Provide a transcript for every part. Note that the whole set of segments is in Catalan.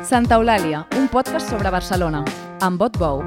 Santa Eulàlia, un podcast sobre Barcelona, amb Bot Bou.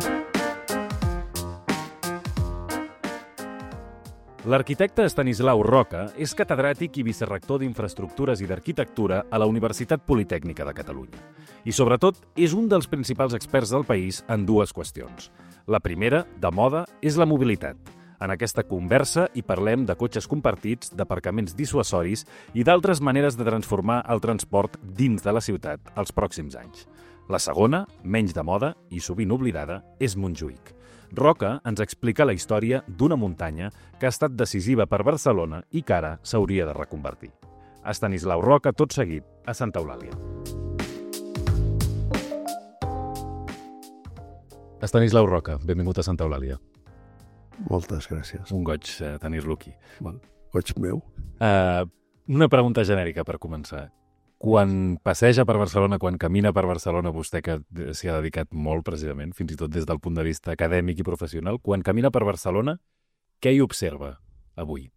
L'arquitecte Estanislau Roca és catedràtic i vicerrector d'Infraestructures i d'Arquitectura a la Universitat Politècnica de Catalunya. I, sobretot, és un dels principals experts del país en dues qüestions. La primera, de moda, és la mobilitat. En aquesta conversa hi parlem de cotxes compartits, d'aparcaments dissuasoris i d'altres maneres de transformar el transport dins de la ciutat els pròxims anys. La segona, menys de moda i sovint oblidada, és Montjuïc. Roca ens explica la història d'una muntanya que ha estat decisiva per Barcelona i que ara s'hauria de reconvertir. Estanislau Roca, tot seguit, a Santa Eulàlia. Estanislau Roca, benvingut a Santa Eulàlia. Moltes gràcies. Un goig tenir-lo aquí. Bon, goig meu. Una pregunta genèrica per començar. Quan passeja per Barcelona, quan camina per Barcelona, vostè que s'hi ha dedicat molt precisament, fins i tot des del punt de vista acadèmic i professional, quan camina per Barcelona, què hi observa avui?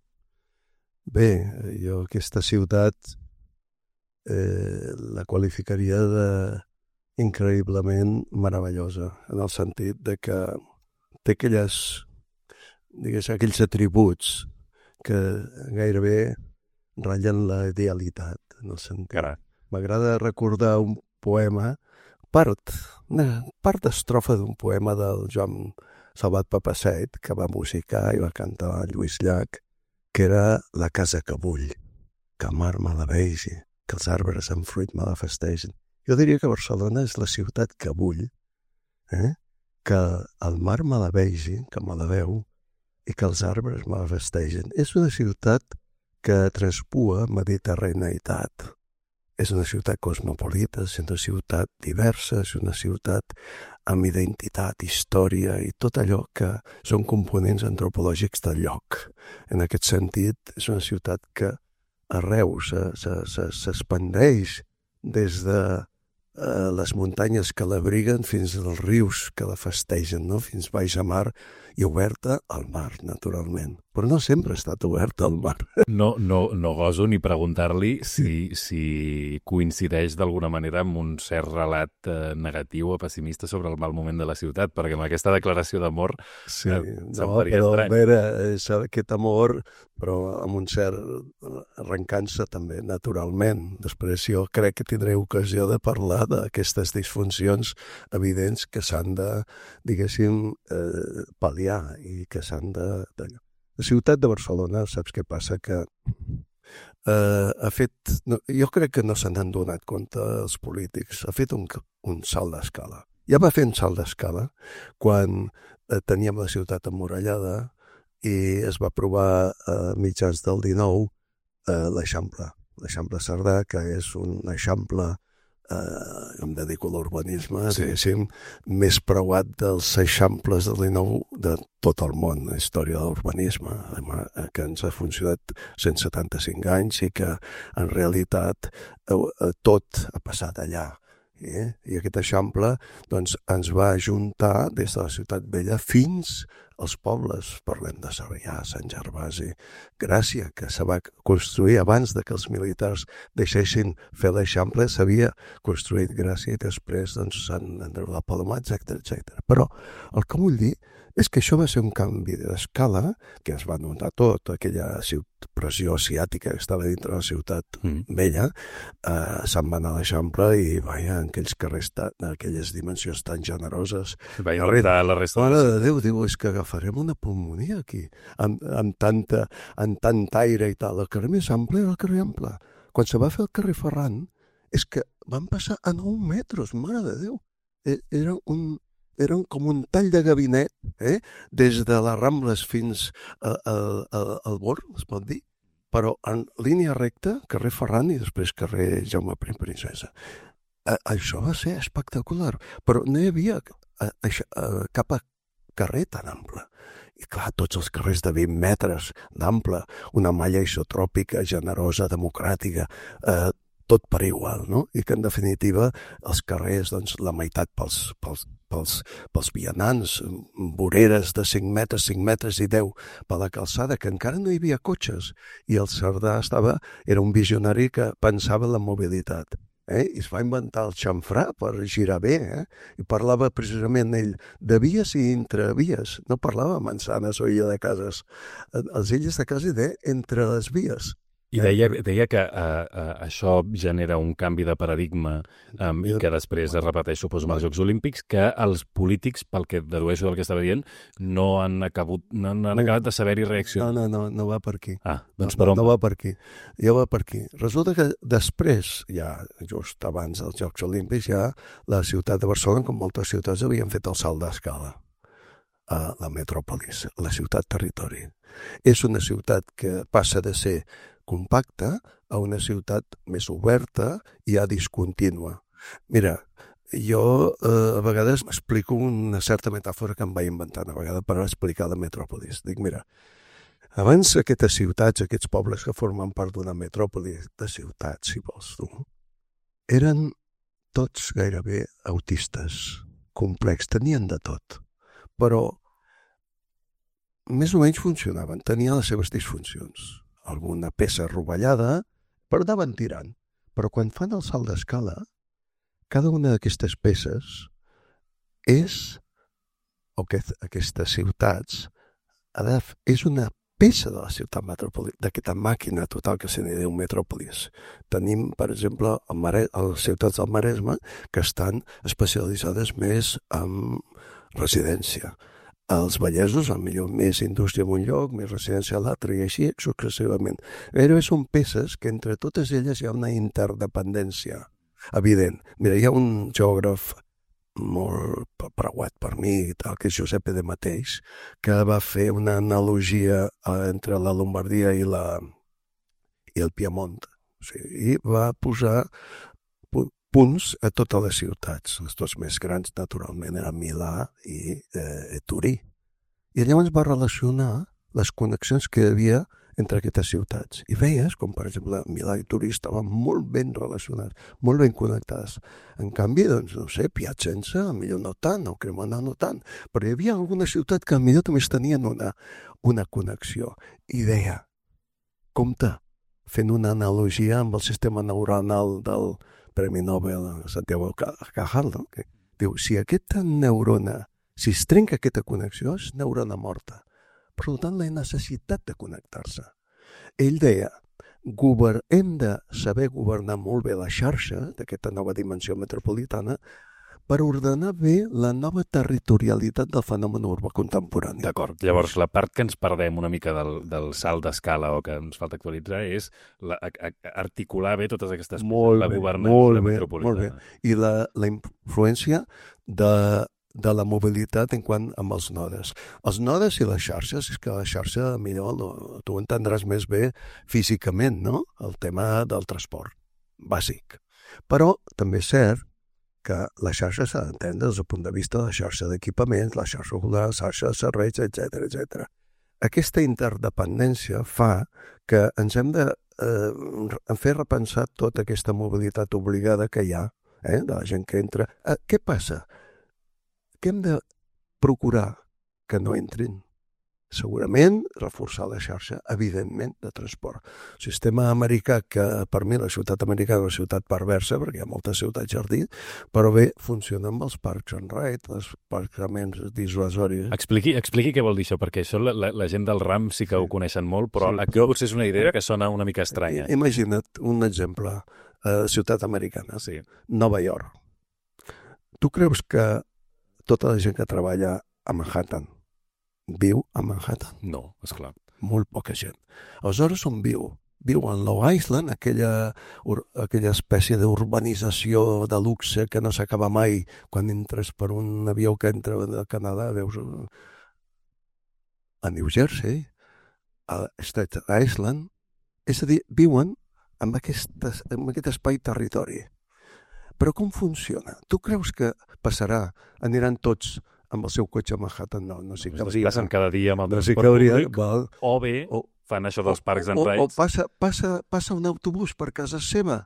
Bé, jo aquesta ciutat la qualificaria d'increïblement meravellosa, en el sentit de que té aquells atributs que gairebé ratllen la idealitat, en el sentit. M'agrada recordar un poema, part d'estrofa d'un poema del Joan Salvat Papasseit, que va musicar i va cantar Lluís Llach, que era La casa que bull, que el mar me la vegi, que els arbres amb fruit me la festegen. Jo diria que Barcelona és la ciutat que bull, que el mar me la vegi, que me la veu, i que els arbres me la festegen. És una ciutat que traspua mediterraneïtat. És una ciutat cosmopolita, és una ciutat diversa, és una ciutat amb identitat, història i tot allò que són components antropològics del lloc. En aquest sentit, és una ciutat que arreu s'expandeix des de les muntanyes que l'abriguen fins als rius que la festegen, no? Fins baix a mar i oberta al mar, naturalment. Però no sempre ha estat oberta al mar. No goso ni preguntar-li si coincideix d'alguna manera amb un cert relat negatiu o pessimista sobre el mal moment de la ciutat, perquè amb aquesta declaració d'amor faria estrany. Vera, és aquest amor, però amb un cert arrencant-se també, naturalment. Després jo crec que tindré ocasió de parlar d'aquestes disfuncions evidents que s'han de, diguéssim, pal·liar i que s'han de... La ciutat de Barcelona, saps què passa? Que ha fet... Jo crec que no se n'han donat compte els polítics. Ha fet un salt d'escala. Ja va fer un salt d'escala quan teníem la ciutat emmurallada i es va aprovar a mitjans del 19 l'Eixample. L'Eixample Cerdà, que és un eixample, em dedico a l'urbanisme, diguéssim, més preuat dels eixamples del 19 de tot el món, la història de l'urbanisme, que ens ha funcionat 175 anys i que en realitat tot ha passat allà. I aquest eixample doncs, ens va ajuntar des de la ciutat vella fins als pobles. Parlem de Sarrià, Sant Gervasi, Gràcia, que se va construir abans de que els militars deixessin fer l'eixample, s'havia construït Gràcia i després doncs, Sant Andreu de Palomar, etc. Però el que vull dir és que això va ser un canvi d'escala que es va notar tot, aquella pressió asiàtica que estava dintre de la ciutat vella, se'n va anar a l'Eixample i vaja, en aquells carrers d'aquelles dimensions tan generoses. Vaja, la resta... Mare de Déu, diu, és que agafarem una pulmonia aquí, amb tant aire i tal. El carrer més ample era el carrer Ample. Quan se va fer el carrer Ferran, és que van passar a 9 metres, mare de Déu. Era com un tall de gabinet, des de les Rambles fins al Born, es pot dir, però en línia recta, carrer Ferran i després carrer Jaume I Princesa. Això va ser espectacular, però no hi havia cap carrer tan ample. I clar, tots els carrers de 20 metres d'ample, una malla isotròpica, generosa, democràtica, tot per igual, no? I que en definitiva els carrers, doncs, la meitat pels vianants, voreres de 5 metres i 10 per la calçada, que encara no hi havia cotxes. I el Cerdà era un visionari que pensava en la mobilitat. I es va inventar el xamfrà per girar bé, i parlava precisament ell de vies i intravies, no parlava de manzanes o illa de cases. Els illes de casa deia entre les vies. I deia que això genera un canvi de paradigma i que després es repeteix, suposo, amb els Jocs Olímpics, que els polítics, pel que dedueixo del que estava dient, no han acabat de saber-hi reaccionar. No va per aquí. Doncs per on? No va per aquí. Ja va per aquí. Resulta que després, ja just abans dels Jocs Olímpics, ja la ciutat de Barcelona, com moltes ciutats, havien fet el salt d'escala a la metròpolis, la ciutat-territori. És una ciutat que passa de ser compacta a una ciutat més oberta i ja discontínua. Mira, jo a vegades explico una certa metàfora que em vaig inventar una vegada per explicar la metròpolis. Dic, mira, abans aquestes ciutats, aquests pobles que formen part d'una metròpoli, de ciutats, si vols tu, eren tots gairebé autistes, complex, tenien de tot, però més o menys funcionaven, tenien les seves disfuncions. Alguna peça rovellada, però anaven tirant. Però quan fan el salt d'escala, cada una d'aquestes peces és, o aquestes ciutats, és una peça de la ciutat metropolitana, d'aquesta màquina total que se n'hi diu metròpolis. Tenim, per exemple, les ciutats del Maresme que estan especialitzades més en residència. Els vallesos, potser més indústria en un lloc, més residència a l'altre, i així successivament. Però són peces que entre totes elles hi ha una interdependència evident. Mira, hi ha un geògraf molt preuat per mi, tal, que és Giuseppe De Matteis, que va fer una analogia entre la Lombardia i el Piemont. O sigui, i va posar punts a totes les ciutats. Les dues més grans, naturalment, eren Milà i Turí. I llavors va relacionar les connexions que hi havia entre aquestes ciutats. I veies, com per exemple, Milà i Turí estaven molt ben relacionats, molt ben connectades. En canvi, doncs, no sé, Piacenza, millor no tant, o Cremona no tant, però hi havia alguna ciutat que millor també tenien una connexió. I deia, compte, fent una analogia amb el sistema neuronal del Premi Nobel Santiago Cajal, no? Que diu, si aquesta neurona, si es trenca aquesta connexió, és neurona morta. Per tant, la necessitat de connectar-se. Ell deia, hem de saber governar molt bé la xarxa d'aquesta nova dimensió metropolitana per ordenar bé la nova territorialitat del fenomen urbà contemporani. D'acord. Llavors, la part que ens perdem una mica del salt d'escala o que ens falta actualitzar és articular bé totes aquestes coses, la governança metropolitana. Molt bé. I la influència de la mobilitat en quant amb els nodes. Els nodes i les xarxes, és que la xarxa, millor, tu entendràs més bé físicament, no? El tema del transport bàsic. Però també és cert que la xarxa s'ha d'entendre des del punt de vista de la xarxa d'equipaments, la xarxa cultural, la xarxa de serveis, etc. Aquesta interdependència fa que ens hem de fer repensar tota aquesta mobilitat obligada que hi ha, de la gent que entra. Què passa? Que hem de procurar que no entrin. Segurament reforçar la xarxa, evidentment, de transport. El sistema americà, que per mi la ciutat americana és una ciutat perversa, perquè hi ha moltes ciutats jardí, però bé, funciona amb els parks and ride, els parcaments dissuasoris. Expliqui què vol dir això, perquè això la gent del RAM sí que ho coneixen molt, però aquí potser és una idea que sona una mica estranya. Imagina't un exemple, ciutat americana, Nova York. Tu creus que tota la gent que treballa a Manhattan viu a Manhattan? No, esclar. Molt poca gent. Aleshores, on viu? Viu en Long Island, aquella espècie d'urbanització de luxe que no s'acaba mai. Quan entres per un avió que entra de Canadà, veus a New Jersey, a Staten Island. És a dir, viuen en aquest espai-territori. Però com funciona? Tu creus que passarà, aniran tots amb el seu cotxe a Manhattan? No s'hi cauria. Es desplacen cada dia amb el transport públic, o bé fan això dels parcs and rides. O passa un autobús per casa seva.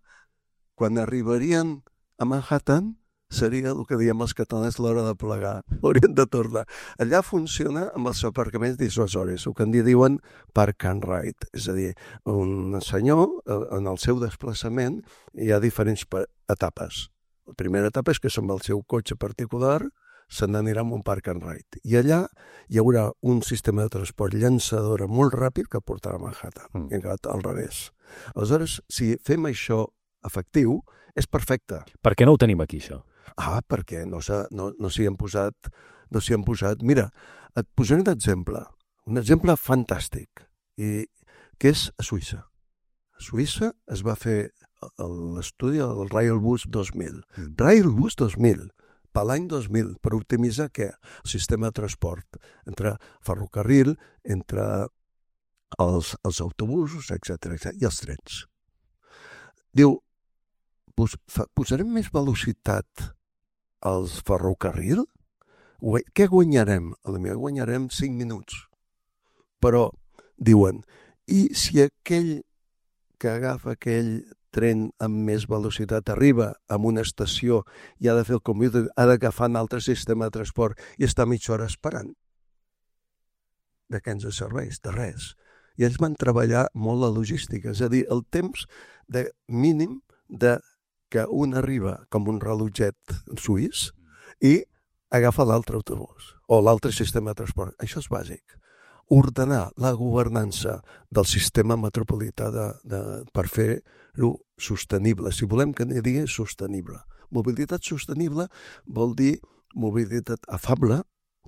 Quan arribarien a Manhattan, seria el que diem els catalans l'hora de plegar. Haurien de tornar. Allà funciona amb els aparcaments dissuasoris, el que en diuen park and ride. És a dir, un senyor, en el seu desplaçament, hi ha diferents etapes. La primera etapa és que amb el seu cotxe particular se n'anirà amb un park and ride. I allà hi haurà un sistema de transport llançadora molt ràpid que portarà a Manhattan, i al revés. Aleshores, si fem això efectiu, és perfecte. Per què no ho tenim aquí, això? Perquè no s'hi han posat... Mira, et posaré un exemple fantàstic, que és a Suïssa. A Suïssa es va fer l'estudi del Railbus 2000. Railbus 2000, per l'any 2000, per optimitzar què? El sistema de transport, entre ferrocarril, entre els autobusos, etc. i els trens. Diu, posarem més velocitat als ferrocarril? Què guanyarem? Potser guanyarem 5 minuts. Però, diuen, i si aquell que agafa aquell tren amb més velocitat arriba a una estació i ha de fer el canvi, ha d'agafar un altre sistema de transport i està mitja hora esperant? De què ens serveix? De res. I ells van treballar molt la logística, és a dir, el temps mínim de que un arriba com un rellotget suís i agafa l'altre autobús o l'altre sistema de transport. Això és bàsic. Ordenar la governança del sistema metropolità per fer-lo sostenible. Si volem que n'hi digui sostenible. Mobilitat sostenible vol dir mobilitat afable,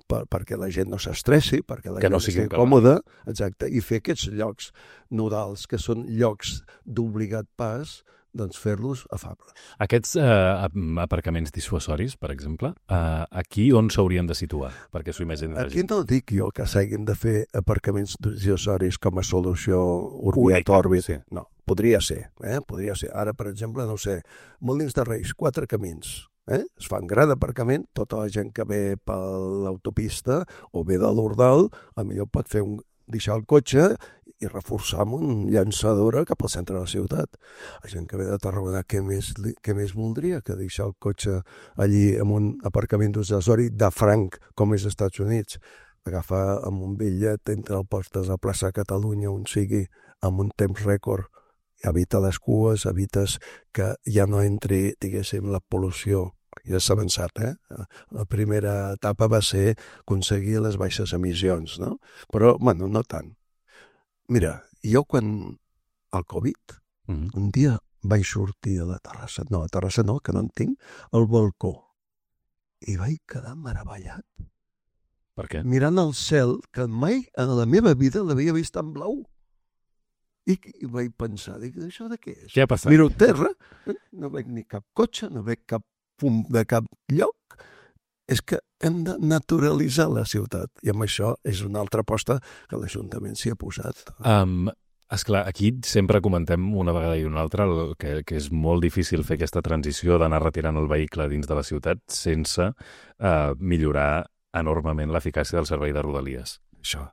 perquè la gent no s'estressi, perquè la gent estigui còmoda, exacte, i fer aquests llocs nodals, que són llocs d'obligat pas, doncs fer-los afables. Aquests aparcaments dissuasoris, per exemple, aquí on s'haurien de situar? Perquè s'ho imagina la gent. Aquí no dic jo que s'hagin de fer aparcaments dissuasoris com a solució Urbi-et-Orbi. No, podria ser. Podria ser. Ara, per exemple, no sé, Molins de Reis, 4 camins. Es fa un gran aparcament, tota la gent que ve per l'autopista o ve de l'Ordal, potser pot deixar el cotxe i reforçar amb un llançadora cap al centre de la ciutat. La gent que ve de Tarragona, què més voldria que deixar el cotxe allí amb un aparcament dissuasori de franc, com és als Estats Units? Agafar amb un bitllet entre el postes a plaça Catalunya, on sigui, amb un temps rècord. Evita les cues, evites que ja no entri, diguéssim, la pol·lució. Ja s'ha avançat, La primera etapa va ser aconseguir les baixes emissions, no? Però, no tant. Mira, jo quan el Covid, un dia vaig sortir a la terrassa, que no en tinc, al balcó, i vaig quedar meravellat. Per què? Mirant el cel, que mai en la meva vida l'havia vist en blau. I vaig pensar, això de què és? Què ha passat? Miro terra, no veig ni cap cotxe, no veig cap fum de cap lloc. És que hem de naturalitzar la ciutat. I amb això és una altra aposta que l'Ajuntament s'hi ha posat. Esclar, aquí sempre comentem una vegada i una altra que és molt difícil fer aquesta transició d'anar retirant el vehicle dins de la ciutat sense millorar enormement l'eficàcia del servei de Rodalies. Això.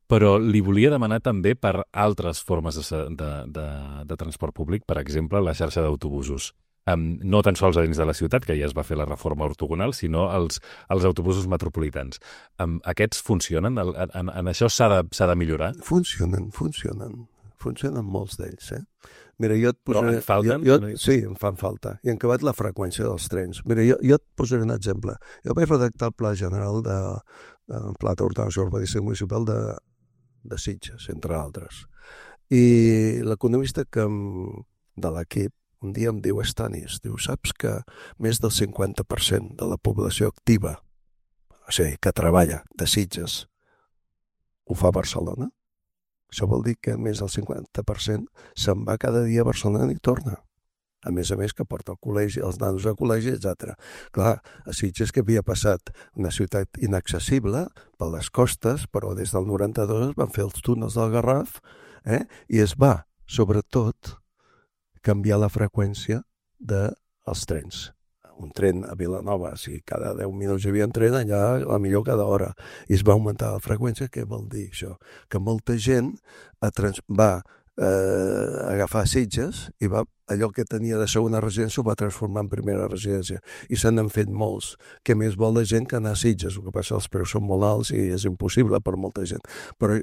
Però li volia demanar també per altres formes de transport públic, per exemple, la xarxa d'autobusos. No tan sols a dins de la ciutat, que ja es va fer la reforma ortogonal, sinó els autobusos metropolitans. Aquests funcionen? En això s'ha de millorar? Funcionen. Funcionen molts d'ells, Mira, jo et posaré... Però en falten? Sí, em fan falta. I han acabat la freqüència dels trens. Mira, jo et posaré un exemple. Jo vaig redactar el Pla General Pla d'Ordenació Urbanística Municipal de Sitges, entre altres. I l'economista de l'equip un dia em diu, Estanis, saps que més del 50% de la població activa, o sigui, que treballa de Sitges, ho fa a Barcelona? Això vol dir que més del 50% se'n va cada dia a Barcelona i torna. A més que porta el col·legi, els nanos al col·legi, etc. Clar, a Sitges que havia passat una ciutat inaccessible per les costes, però des del 92 van fer els túnels del Garraf, i es va, sobretot, canviar la freqüència dels trens. Un tren a Vilanova, si cada 10 minuts hi havia un tren, allà a millor cada hora. I es va augmentar la freqüència. Què vol dir això? Que molta gent va agafar Sitges i allò que tenia de segona residència ho va transformar en primera residència. I se n'han fet molts. Què més vol la gent que anar a Sitges? El que passa, els preus són molt alts i és impossible per molta gent. Però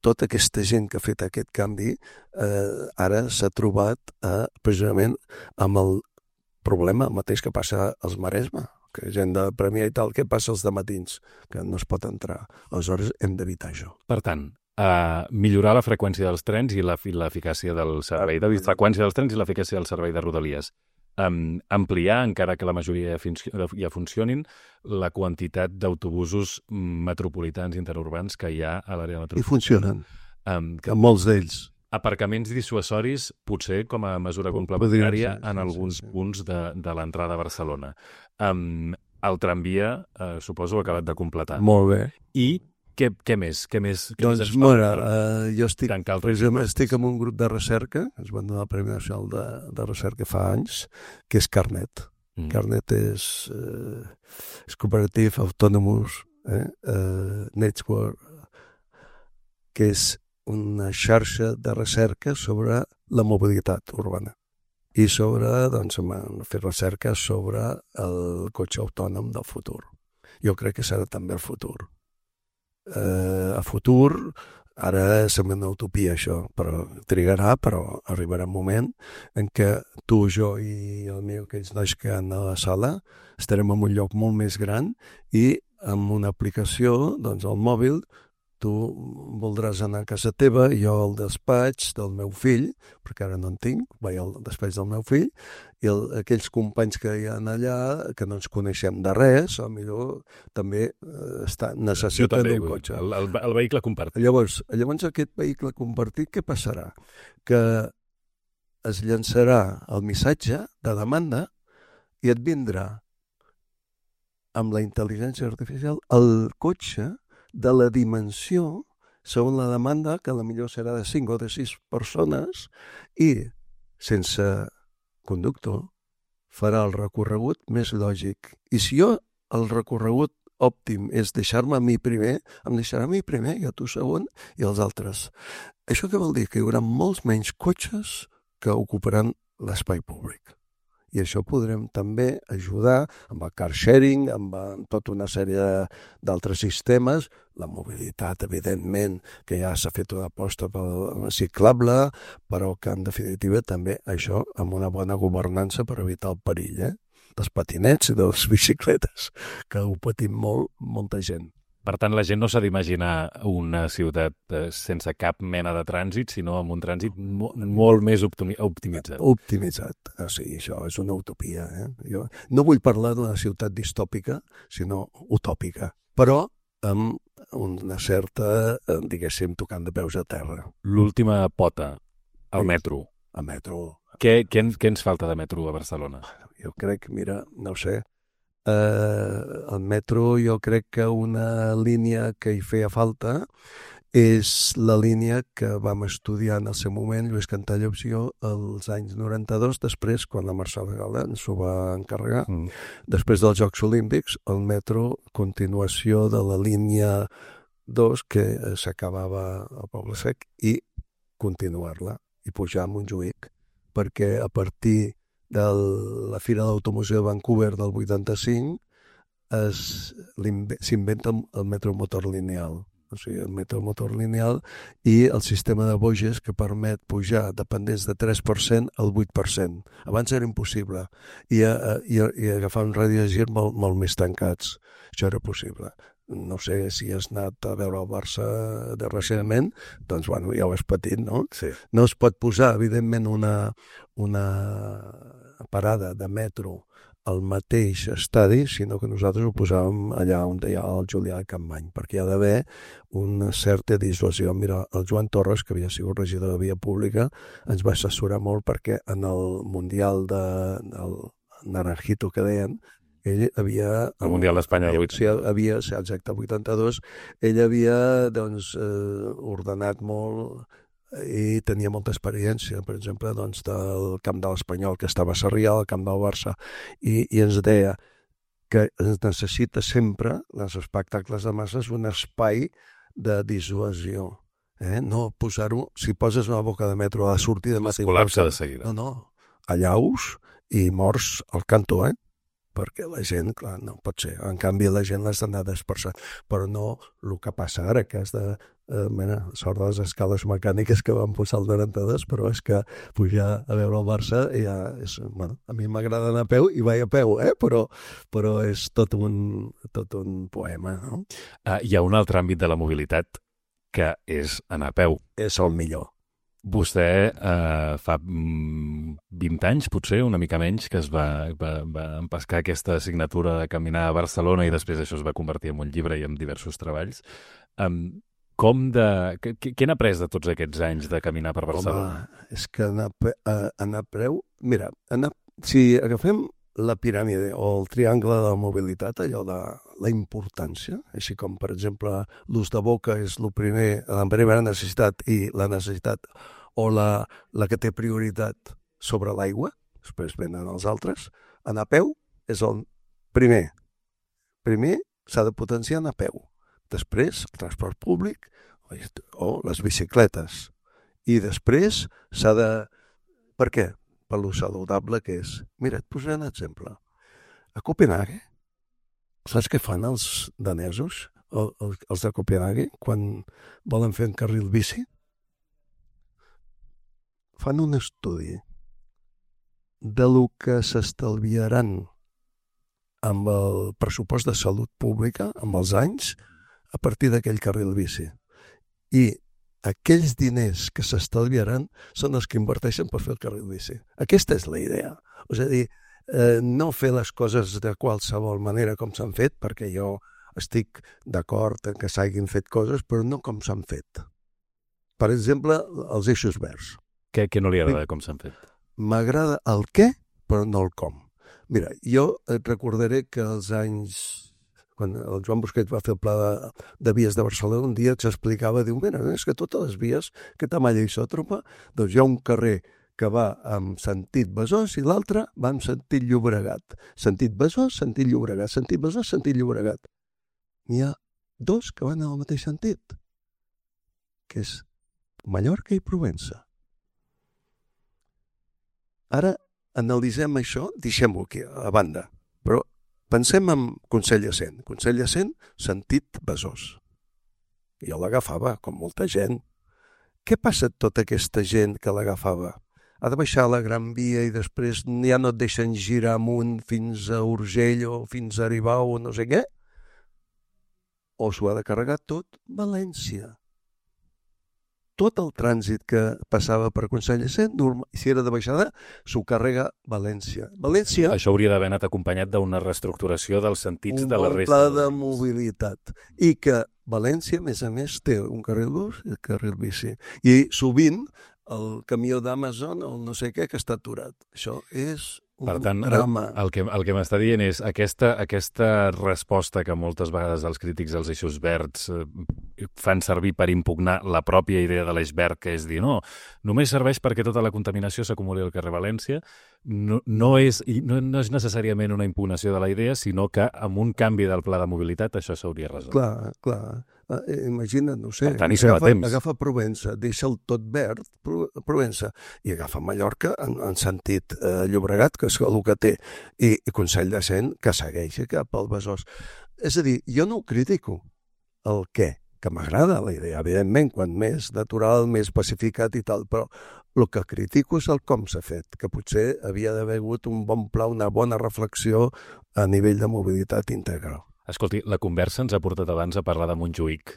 tota aquesta gent que ha fet aquest canvi ara s'ha trobat precisament amb el problema mateix que passa als Maresme, que gent de Premià i tal, què passa als dematins? Que no es pot entrar. Aleshores hem d'evitar això. Per tant, millorar la freqüència dels trens i l'eficàcia del servei de freqüència dels trens i l'eficàcia del servei de Rodalies. Ampliar, encara que la majoria ja funcionin, la quantitat d'autobusos metropolitans interurbans que hi ha a l'àrea metropolitana. I funcionen, molts d'ells. Aparcaments dissuasoris, potser com a mesura complementària en alguns punts de l'entrada a Barcelona. El tramvia, suposo, ha acabat de completar. Molt bé. I què més? Doncs, jo estic en un grup de recerca, ens van donar el Premi Nacional de Recerca fa anys, que és Carnet. Carnet és Cooperative Autonomous Network, que és una xarxa de recerca sobre la mobilitat urbana i sobre, doncs, fer recerca sobre el cotxe autònom del futur. Jo crec que serà també el futur. A futur, ara sembla una utopia això, però trigarà, però arribarà un moment en què tu, jo i aquells nois que han a la sala estarem en un lloc molt més gran i amb una aplicació, doncs al mòbil, tu voldràs anar a casa teva, jo al despatx del meu fill, perquè ara no en tinc, vaig al despatx del meu fill, i aquells companys que hi ha allà, que no ens coneixem de res, o millor també necessiten un cotxe. El vehicle compartit. Llavors aquest vehicle compartit, què passarà? Que es llançarà el missatge de demanda i et vindrà amb la intel·ligència artificial el cotxe de la dimensió, segons la demanda, que potser serà de 5 o de 6 persones, i sense conductor farà el recorregut més lògic. I si jo el recorregut òptim és deixar-me a mi primer, em deixarà a mi primer, i a tu segon, i els altres. Això què vol dir? Que hi haurà molts menys cotxes que ocuparan l'espai públic. I això podrem també ajudar amb el car sharing, amb tota una sèrie d'altres sistemes, la mobilitat, evidentment, que ja s'ha fet una aposta pel ciclable, però que en definitiva també això amb una bona governança per evitar el perill, dels patinets i de les bicicletes, que ho patim molta gent. Per tant, la gent no s'ha d'imaginar una ciutat sense cap mena de trànsit, sinó amb un trànsit molt més optimitzat. Optimitzat. Sí, això és una utopia. Jo no vull parlar d'una ciutat distòpica, sinó utòpica, però amb una certa, diguéssim, tocant de peus a terra. L'última pota, el metro. El metro. Què ens falta de metro a Barcelona? Jo crec, mira, no ho sé, el metro, jo crec que una línia que hi feia falta és la línia que vam estudiar en el seu moment Lluís Cantallops i jo als anys 92, després, quan la Mercè Gala ens ho va encarregar. Després dels Jocs Olímpics, el metro, continuació de la línia 2, que s'acabava al Poble Sec, i continuar-la, i pujar a Montjuïc, perquè a partir de la Fira d'Automoció de Vancouver del 85 s'inventa el metromotor lineal. O sigui, el metromotor lineal i el sistema de boges que permet pujar de pendents de 3% al 8%. Abans era impossible. I agafar un radi de gir molt més tancats. Això era possible. No sé si has anat a veure el Barça de recentment, doncs bueno, ja ho has patit, no? Sí. No es pot posar, evidentment, una parada de metro al mateix estadi, sinó que nosaltres ho posàvem allà on hi ha el Julià de Campmany, perquè hi ha d'haver una certa dissuasió. Mira, el Joan Torres, que havia sigut regidor de Via Pública, ens va assessorar molt perquè en el Mundial del Naranjito que deien, ell havia... El Mundial d'Espanya del 82. Exacte, el 82. Ell havia, ordenat molt i tenia molta experiència, per exemple, del camp de l'Espanyol, que estava a Sarrià, al camp del Barça, i ens deia que es necessita sempre, en els espectacles de masses, un espai de dissuasió. No posar-ho, si poses una boca de metro a la sortida... Col·lapsa de seguida. No, allaus i morts al cantó, perquè la gent, clar, no pot ser. En canvi, la gent l'has d'anar dispersant. Però no el que passa ara, que has de... sort de les escales mecàniques que van posar el 92, però és que pujar a veure el Barça ja és... Bueno, a mi m'agrada anar a peu i vaig a peu, però és tot un poema, no? Hi ha un altre àmbit de la mobilitat que és anar a peu. És el millor. Vostè fa 20 anys, potser, una mica menys, que es va empescar aquesta assignatura de caminar a Barcelona i després això es va convertir en un llibre i en diversos treballs. Què n'ha après de tots aquests anys de caminar per Barcelona? Home, és que anar a peu... Mira, si agafem la piràmide o el triangle de la mobilitat, allò de la importància, així com, per exemple, l'ús de boca és la primera necessitat i la necessitat o la que té prioritat sobre l'aigua, després venen els altres, anar a peu és el primer. Primer s'ha de potenciar anar a peu. Després, el transport públic o les bicicletes. I després s'ha de... Per què? Per lo saludable que és. Mira, et posaré un exemple. A Copenhague, saps què fan els danesos, els de Copenhague, quan volen fer un carril bici? Fan un estudi de lo que s'estalviaran amb el pressupost de salut pública, amb els anys, a partir d'aquell carril bici. I aquells diners que s'estalviaran són els que inverteixen per fer el carril bici. Aquesta és la idea. És a dir, no fer les coses de qualsevol manera com s'han fet, perquè jo estic d'acord en que s'hagin fet coses, però no com s'han fet. Per exemple, els eixos verds. Què no li agrada com s'han fet? M'agrada el què, però no el com. Mira, jo et recordaré que als anys... Quan el Joan Busquets va fer el pla de vies de Barcelona, un dia s'explicava, diu, mira, és que totes les vies que Tamaia i Isòtropa, doncs hi ha un carrer que va en sentit Besòs i l'altre va en sentit Llobregat. Sentit Besòs, sentit Llobregat. Sentit Besòs, sentit Llobregat. N'hi ha dos que van en el mateix sentit, que és Mallorca i Provença. Ara analitzem això, deixem-ho aquí a banda, però pensem en Consell de Cent. Consell de Cent, sentit Besòs. Jo l'agafava, com molta gent. Què passa amb tota aquesta gent que l'agafava? Ha de baixar la Gran Via i després ja no et deixen girar amunt fins a Urgell o fins a Aribau o no sé què? O s'ho ha de carregar tot València. Tot el trànsit que passava per Consell de Cent, si era de baixada, s'ho carrega València. Això hauria d'haver anat acompanyat d'una reestructuració dels sentits de la resta. Un pla de mobilitat. I que València, a més, té un carril bus i un carril bici. I sovint el camió d'Amazon o no sé què que està aturat. Això és per tant, drama. El que m'està dient és aquesta resposta que moltes vegades els crítics dels eixos verds fan servir per impugnar la pròpia idea de l'eix verd, que és dir, no, només serveix perquè tota la contaminació s'acumuli al carrer València, no és necessàriament una impugnació de la idea, sinó que amb un canvi del pla de mobilitat això s'hauria resolt. Clar. Imagina't, no sé, per tant, agafa Provença, deixa el tot verd, Provença, i agafa Mallorca en sentit Llobregat, que és el que té, i Consell de Cent, que segueix cap al Besòs. És a dir, jo no ho critico, el què, que m'agrada la idea, evidentment, quan més natural, més pacificat i tal, però el que critico és el com s'ha fet, que potser havia d'haver hagut un bon pla, una bona reflexió a nivell de mobilitat integral. Escolti, la conversa ens ha portat abans a parlar de Montjuïc,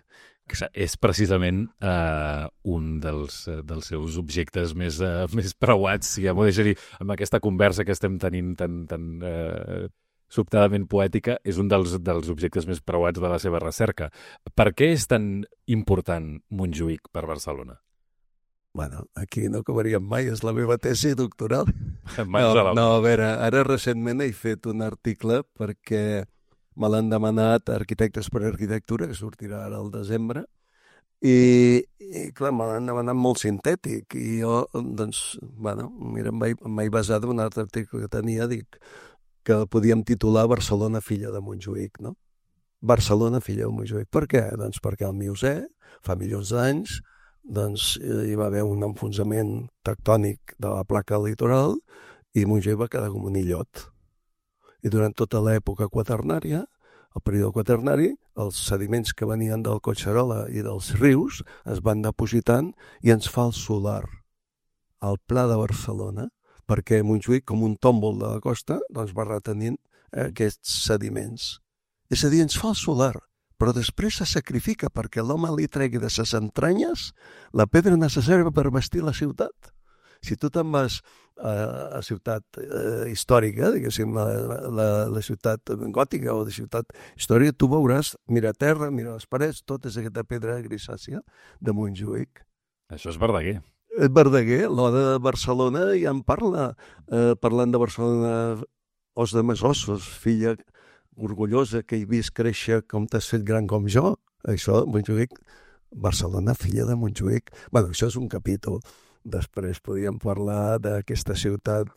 que és precisament un dels seus objectes més preuats, si ja m'ho deixa dir, amb aquesta conversa que estem tenint tan sobtadament poètica, és un dels objectes més preuats de la seva recerca. Per què és tan important Montjuïc per Barcelona? Bueno, aquí no acabaríem mai, és la meva tesi doctoral. No, a veure, ara recentment he fet un article perquè me l'han demanat Arquitectes per Arquitectura, que sortirà ara al desembre, i clar, me l'han demanat molt sintètic, i jo, doncs, bueno, mira, em vaig basar en un altre article que tenia, dic, que podíem titular Barcelona, filla de Montjuïc, no? Barcelona, filla de Montjuïc. Per què? Doncs perquè el Miocè, fa milions d'anys, doncs hi va haver un enfonsament tectònic de la placa litoral i Montjuïc va quedar com un illot. I durant tota l'època quaternària, el període quaternari, els sediments que venien del Collserola i dels rius es van depositant i ens fa el solar al Pla de Barcelona, perquè Montjuïc, com un tòmbol de la costa, doncs va retenint aquests sediments. És a dir, ens fa el solar, però després se sacrifica perquè l'home li tregui de ses entranyes la pedra necessària per vestir la ciutat. Si tu te'n vas a ciutat històrica, diguéssim, la ciutat gòtica o de ciutat històrica, tu veuràs, mira terra, mira les parets, tot és aquesta pedra grisàcia de Montjuïc. Això és Verdaguer. Verdaguer, l'Oda de Barcelona, ja en parla, parlant de Barcelona, os de mes ossos, filla orgullosa que he vist créixer com t'has fet gran com jo. Això, Montjuïc, Barcelona, filla de Montjuïc. Bueno, això és un capítol. Després podríem parlar d'aquesta ciutat,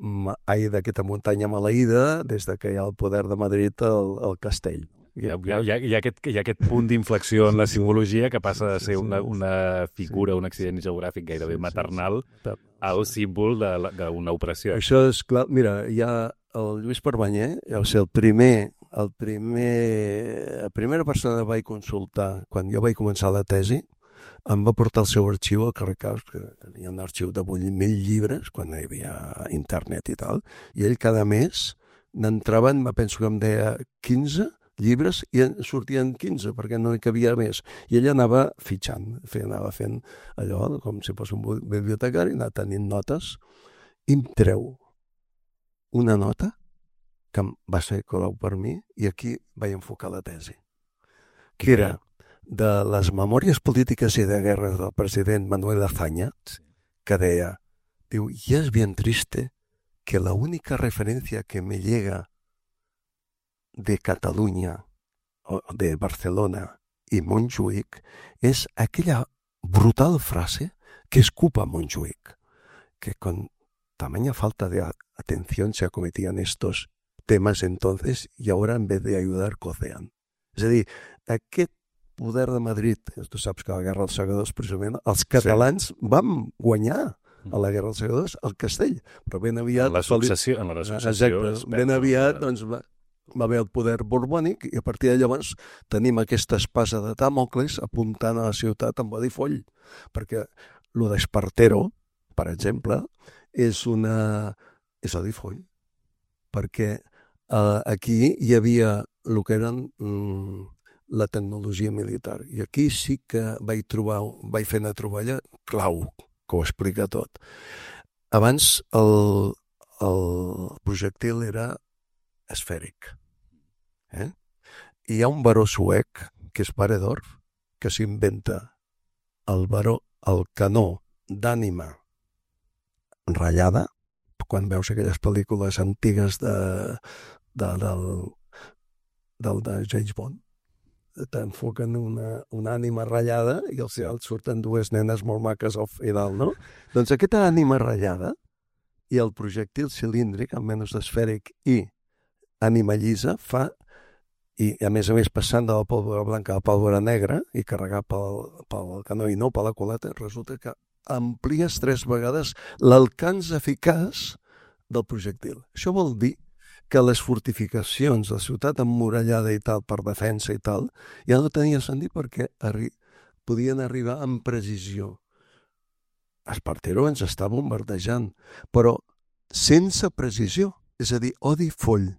d'aquesta muntanya maleïda, des que hi ha el poder de Madrid al castell. Hi ha aquest punt d'inflexió en la simbologia que passa de ser una figura, un accident geogràfic gairebé maternal, al símbol d'una operació. Això és clar. Mira, hi ha el Lluís Perbanyer, va ser la primera persona que vaig consultar quan jo vaig començar la tesi, em va portar el seu arxiu al carrer Caus, que tenia un arxiu de 8.000 llibres, quan hi havia internet i tal, i ell cada mes n'entraven, penso que em deia 15 llibres, i en sortien 15, perquè no hi cabia més. I ell anava fitxant, anava fent allò, com si fos un bibliotecari, anava tenint notes, i em treu una nota que va ser clau per mi, i aquí vaig enfocar la tesi, que era de les memòries polítiques y de guerra del president Manuel Azaña, que deia, diu, y es bien triste que la única referencia que me llega de Cataluña, o de Barcelona y Montjuïc es aquella brutal frase que escupa Montjuïc, que con tamaña falta de atención se acometían estos temas entonces y ahora en vez de ayudar cocean. És a dir, aquest poder de Madrid, tu saps que a la Guerra dels Segadors, precisament, els catalans vam guanyar a la Guerra dels Segadors el castell, però ben aviat... En la successió. Exacte, ben aviat doncs, va haver el poder borbònic i a partir de llavors tenim aquesta espasa de Dàmocles apuntant a la ciutat amb bodi foll, perquè lo d'Espartero, per exemple, és odi foll, perquè aquí hi havia el que eren la tecnologia militar. I aquí sí que vaig fer una troballa clau, que ho explica tot. Abans el projectil era esfèric. I hi ha un baró suec, que és Paredorf, que s'inventa el canó d'ànima ratllada, quan veus aquelles pel·lícules antigues de James Bond, t'enfoquen una ànima ratllada i al final surten dues nenes molt maques i dalt, no? Doncs aquesta ànima ratllada i el projectil cilíndric, almenys esfèric, i ànima llisa fa, i a més passant de la pólvora blanca a la pólvora negra i carregar pel canó i no per la culata, resulta que amplies 3 vegades l'alcance eficaç del projectil. Això vol dir que les fortificacions de la ciutat emmurallada i tal, per defensa i tal, ja no tenia sentit perquè podien arribar amb precisió. Espartero ens està bombardejant, però sense precisió, és a dir, odi foll.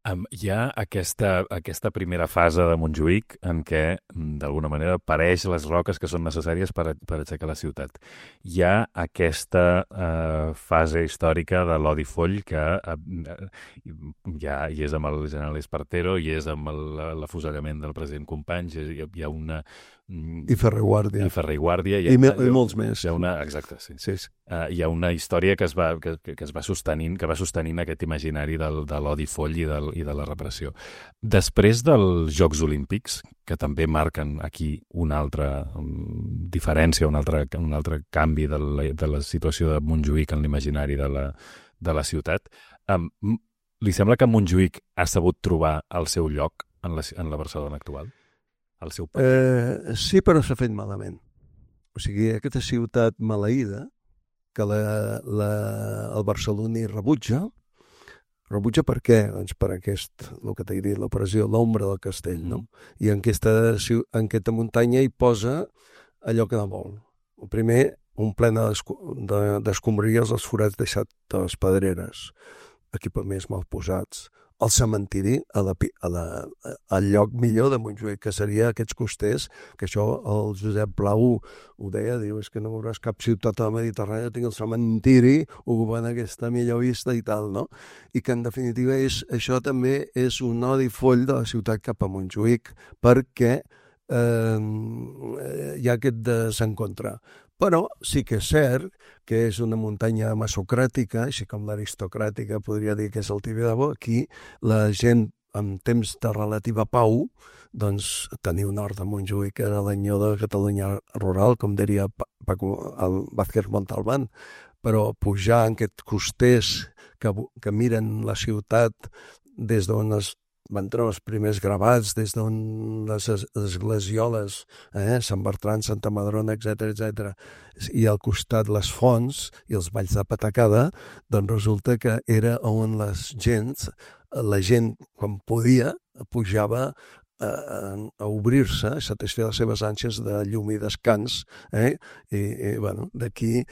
Hi ha aquesta primera fase de Montjuïc en què, d'alguna manera, pareix les roques que són necessàries per aixecar la ciutat. Hi ha aquesta fase històrica de l'odi foll que ja hi és amb el general Espartero, hi és amb l'afusellament del president Companys, hi ha una... I Ferrer i Guàrdia. I molts més. Exacte, sí. Hi ha una història que va sostenint aquest imaginari de l'odi foll i de la repressió. Després dels Jocs Olímpics, que també marquen aquí una altra diferència, un altre canvi de la situació de Montjuïc en l'imaginari de la ciutat, li sembla que Montjuïc ha sabut trobar el seu lloc en la Barcelona actual? El seu paper? Sí, però s'ha fet malament. O sigui, aquesta ciutat maleïda que el barceloní rebutja per què? Doncs per el que t'he dit, l'operació, l'ombra del castell, no? I en aquesta muntanya hi posa allò que no vol. El primer, un plena d'escombraries als forats deixats de les pedreres, equipaments mal posats, el cementiri al lloc millor de Montjuïc, que seria aquests costers, que això el Josep Blau ho deia, diu, és que no veuràs cap ciutat a la Mediterrània, tinc el cementiri, ocupant aquesta millor vista i tal, no? I que en definitiva això també és un nodi foll de la ciutat cap a Montjuïc, perquè hi ha aquest desencontre. Però sí que és cert que és una muntanya masocràtica, així com l'aristocràtica podria dir que és el Tibidabo. Aquí la gent en temps de relativa pau, doncs teniu nord de Montjuïc, que era l'anyó de Catalunya rural, com diria el Vázquez Montalbán, però pujar en aquests costers que miren la ciutat des d'on van trobar els primers gravats, des d'on les esglesioles, Sant Bertran, Santa Madrona, etc, i al costat les fonts i els valls de patacada, doncs resulta que era on la gent, quan podia, pujava a obrir-se, a satisfer les seves ànsies de llum i descans, i bueno, d'aquí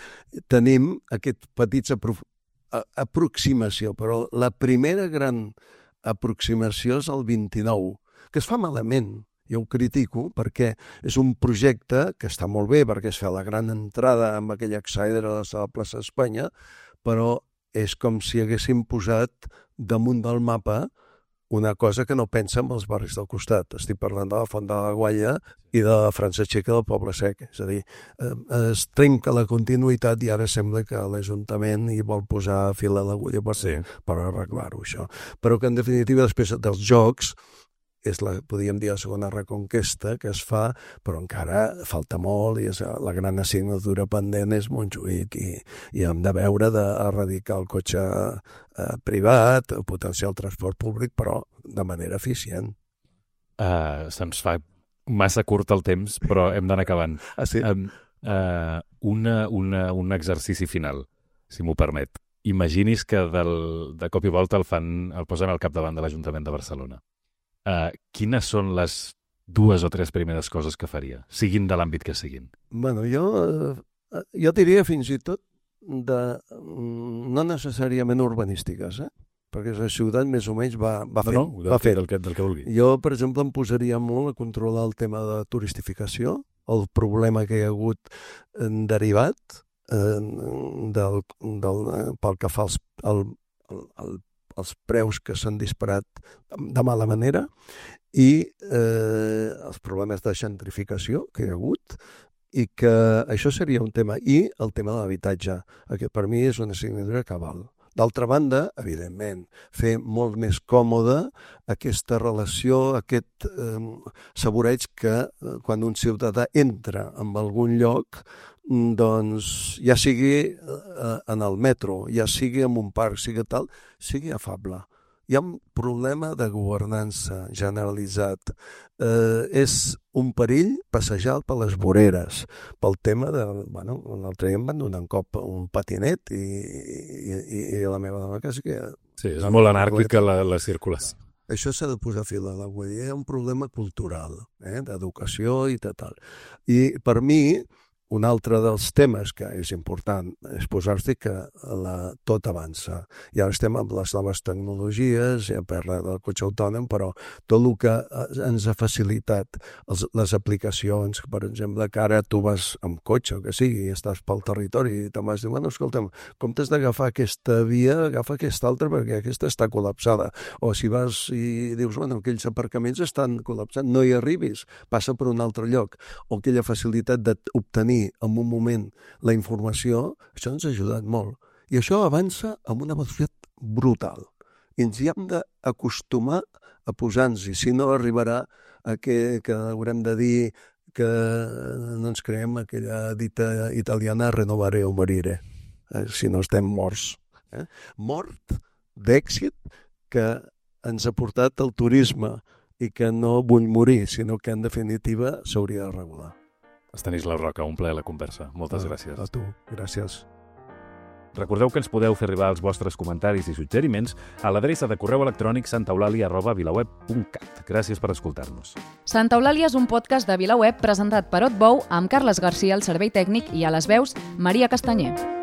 tenim aquest petits aproximació, però la primera gran aproximació és el 29, que es fa malament. Jo ho critico perquè és un projecte que està molt bé perquè es fa la gran entrada amb aquella exaedra de la plaça d'Espanya, però és com si haguéssim posat damunt del mapa una cosa que no pensa en els barris del costat. Estic parlant de la Font de la Gualla i de la França Txeca del Poble Sec. És a dir, es trenca la continuïtat i ara sembla que l'Ajuntament hi vol posar fil a l'agulla per arreglar-ho, això. Però que, en definitiva, després dels jocs, és podríem dir, la segona reconquesta que es fa, però encara falta molt i la gran assignatura pendent és Montjuïc i hem de veure d'erradicar el cotxe privat, potenciar el transport públic, però de manera eficient. Se'ns fa massa curt el temps, però hem d'anar acabant. Sí? Un exercici final, si m'ho permet. Imagini's que de cop i volta el posen al capdavant de l'Ajuntament de Barcelona. Quines són les 2 o 3 primeres coses que faria, siguin de l'àmbit que siguin? Bueno, jo diria fins i tot no necessàriament urbanístiques, perquè la ciutat més o menys va fer del que vulgui. Jo, per exemple, em posaria molt a controlar el tema de turistificació, el problema que hi ha hagut derivat pel que fa els preus que s'han disparat de mala manera i els problemes de gentrificació que hi ha hagut, i que això seria un tema. I el tema de l'habitatge, que per mi és una assignatura cabal. D'altra banda, evidentment, fer molt més còmode aquesta relació, aquest saboreig que quan un ciutadà entra en algun lloc, doncs ja sigui en el metro, ja sigui en un parc, sigui afable. Hi ha un problema de governança generalitzat. És un perill passejar per les voreres, pel tema de... Bueno, l'altre dia em van donar un cop un patinet i la meva dona quasi que... Sí, és molt anàrquica la circulació. Això s'ha de posar fil a l'agulla. Hi ha un problema cultural, d'educació i tal. I per mi, un altre dels temes que és important és posar-se que tot avança. I ara estem amb les noves tecnologies, ja parla del cotxe autònom, però tot el que ens ha facilitat les aplicacions, per exemple, que ara tu vas amb cotxe o que sigui, i estàs pel territori i te'n vas dir, bueno, escolta'm, com t'has d'agafar aquesta via, agafa aquesta altra perquè aquesta està col·lapsada. O si vas i dius, bueno, aquells aparcaments estan col·lapsats, no hi arribis, passa per un altre lloc. O aquella facilitat d'obtenir en un moment la informació, això ens ha ajudat molt. I això avança amb una velocitat brutal. I ens hi hem d'acostumar a posar-nos-hi, si no arribarà a que haurem de dir que no ens creem aquella dita italiana renovare o morire, si no estem morts. Mort d'èxit que ens ha portat el turisme i que no vull morir, sinó que en definitiva s'hauria de regular. Estanislau Roca, un plaer la conversa. Moltes gràcies. A tu, gràcies. Recordeu que ens podeu fer arribar els vostres comentaris i suggeriments a l'adreça de correu electrònic santaeulàlia@vilaweb.cat. Gràcies per escoltar-nos. Santa Eulàlia és un podcast de VilaWeb presentat per Otbou amb Carles Garcia al servei tècnic i a les veus Maria Castanyer.